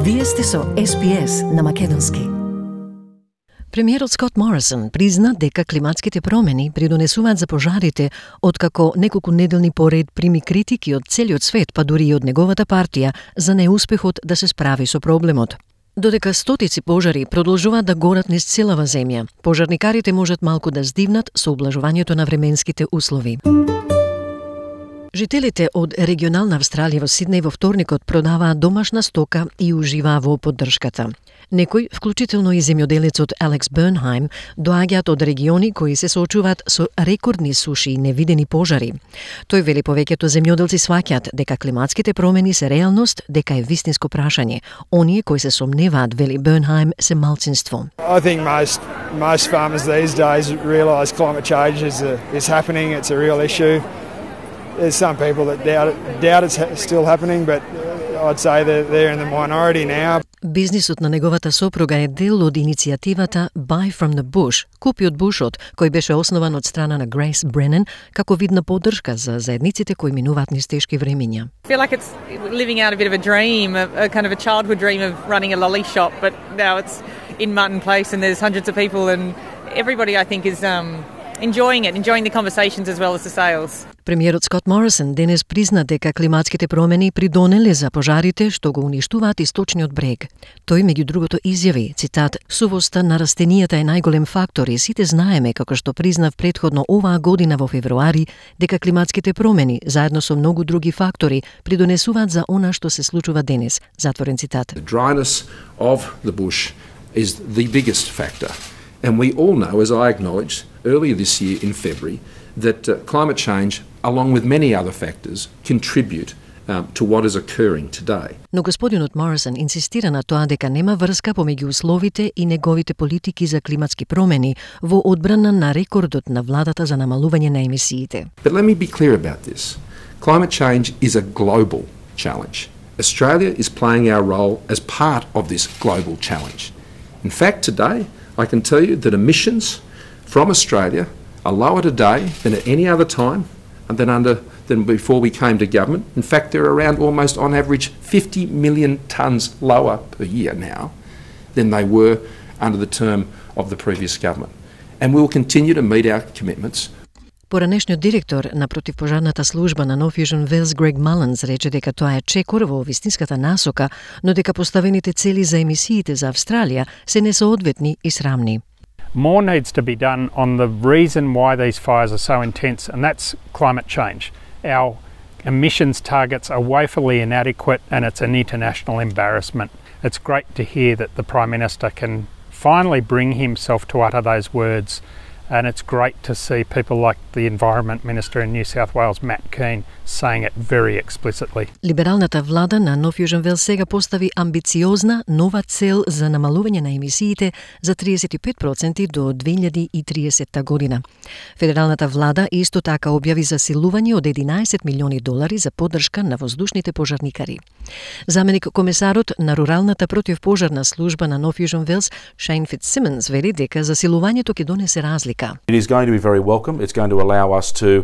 Вие сте со SPS на македонски. Премиерот Скот Морисон призна дека климатските промени придонесуваат за пожарите, откако неколку неделни поред прими критики од целиот свет, па дури и од неговата партија, за неуспехот да се справи со проблемот. Додека стотици пожари продолжуваат да горат низ целава земја, пожарникарите можат малку да здивнат со ублажувањето на временските услови. Жителите од регионална Австралија во Сиднеј во вторникот продаваат домашна стока и уживаа во поддршката. Некои, вклучително и земјоделецот Алекс Бернхаим, доаѓаат од региони кои се соочуваат со рекордни суши и невидени пожари. Тој вели повеќето земјоделци сваќаат дека климатските промени се реалност, дека е вистинско прашање. Оние кои се сомневаат, вели Бернхаим, се малцинство. I think most farmers these days realise climate change is happening. It's a real issue. There's some people that doubt it's still happening, but I'd say that they're in the minority now. Бизнисот на неговата сопруга е дел од иницијативата Buy from the Bush, купи од бушот, кој беше основан од страна на Грейс Бренен како вид на поддршка за заедниците кои минуваат низ тешки времиња. I feel like it's living out a bit of a dream, a kind of a childhood dream of running a lolly shop, but now it's in Martin Place and there's hundreds of people and everybody I think is enjoying the conversations as well as the sales. Премиерот Скот Морисон денес призна дека климатските промени придонеле за пожарите што го уништуваат источниот брег. Тој меѓу другото изјави, цитат, "Сувоста на растенијата е најголем фактор и сите знаеме, како што признав претходно оваа година во февруари, дека климатските промени, заедно со многу други фактори, придонесуваат за она што се случува денес." Затворен цитат. The dryness of the bush is the biggest factor. And we all know, as I acknowledged earlier this year in February, that climate change, along with many other factors, contribute to what is occurring today. Но господинот Морисон инсистира на тоа дека нема врска помеѓу условите и неговите политики за климатски промени во одбрана на рекордот на владата за намалување на емисиите. But let me be clear about this. Climate change is a global challenge. Australia is playing our role as part of this global challenge. In fact, today, I can tell you that emissions from Australia are lower today than at any other time and than before we came to government. In fact, they're around almost on average 50 million tonnes lower per year now than they were under the term of the previous government. And we will continue to meet our commitments. Поранешниот директор на противпожарната служба на No Fusion Wells Greg Mullins рече дека тоа е чекор во вистинската насока, но дека поставените цели за емисиите за Австралија се несоодветни и срамни. More needs to be done on the reason why these fires are so intense, and that's climate change. Our emissions targets are woefully inadequate and it's an international embarrassment. It's great to hear that the Prime Minister can finally bring himself to utter those words. And it's great to see people like the Environment Minister in New South Wales, Matt Kean, saying it very explicitly. Либералната влада на No Fusion Wells сега постави амбициозна нова цел за намалување на емисиите за 35% до 2030 година. Федералната влада исто така објави засилување од $11 милиони за поддршка на воздушните пожарникари. Заменик комесарот на руралната противпожарна служба на No Fusion Wells, Shane Fitzsimmons, вели дека засилувањето ќе донесе разлика. It is going to be very welcome. It's going to allow us to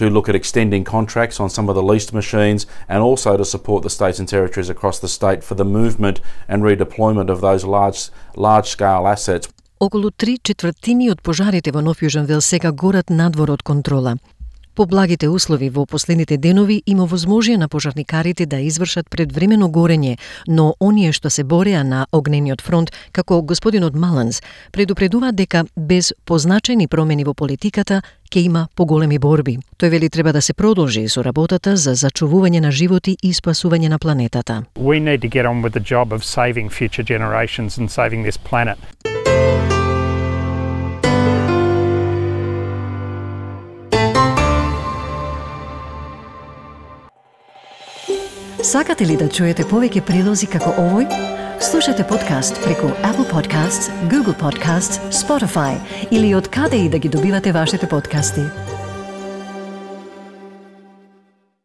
look at extending contracts on some of the leased machines and also to support the states and territories across the state for the movement and redeployment of those large-scale assets. Околу 3/4 од пожарите во No Fusion Wells сега горат надвор од контрола. Поблагите услови во последните денови има возможија на пожарникарите да извршат предвремено горење, но оние што се бореа на огнениот фронт, како господинот Маланс, предупредуваат дека без позначајни промени во политиката ќе има поголеми борби. Тој вели треба да се продолжи со работата за зачувување на животи и спасување на планетата. We need to get on with the job of saving future generations and saving this planet. Сакате ли да чуете повеќе прилози како овој? Слушате подкаст преку Apple Podcasts, Google Podcasts, Spotify или од каде и да ги добивате вашите подкасти.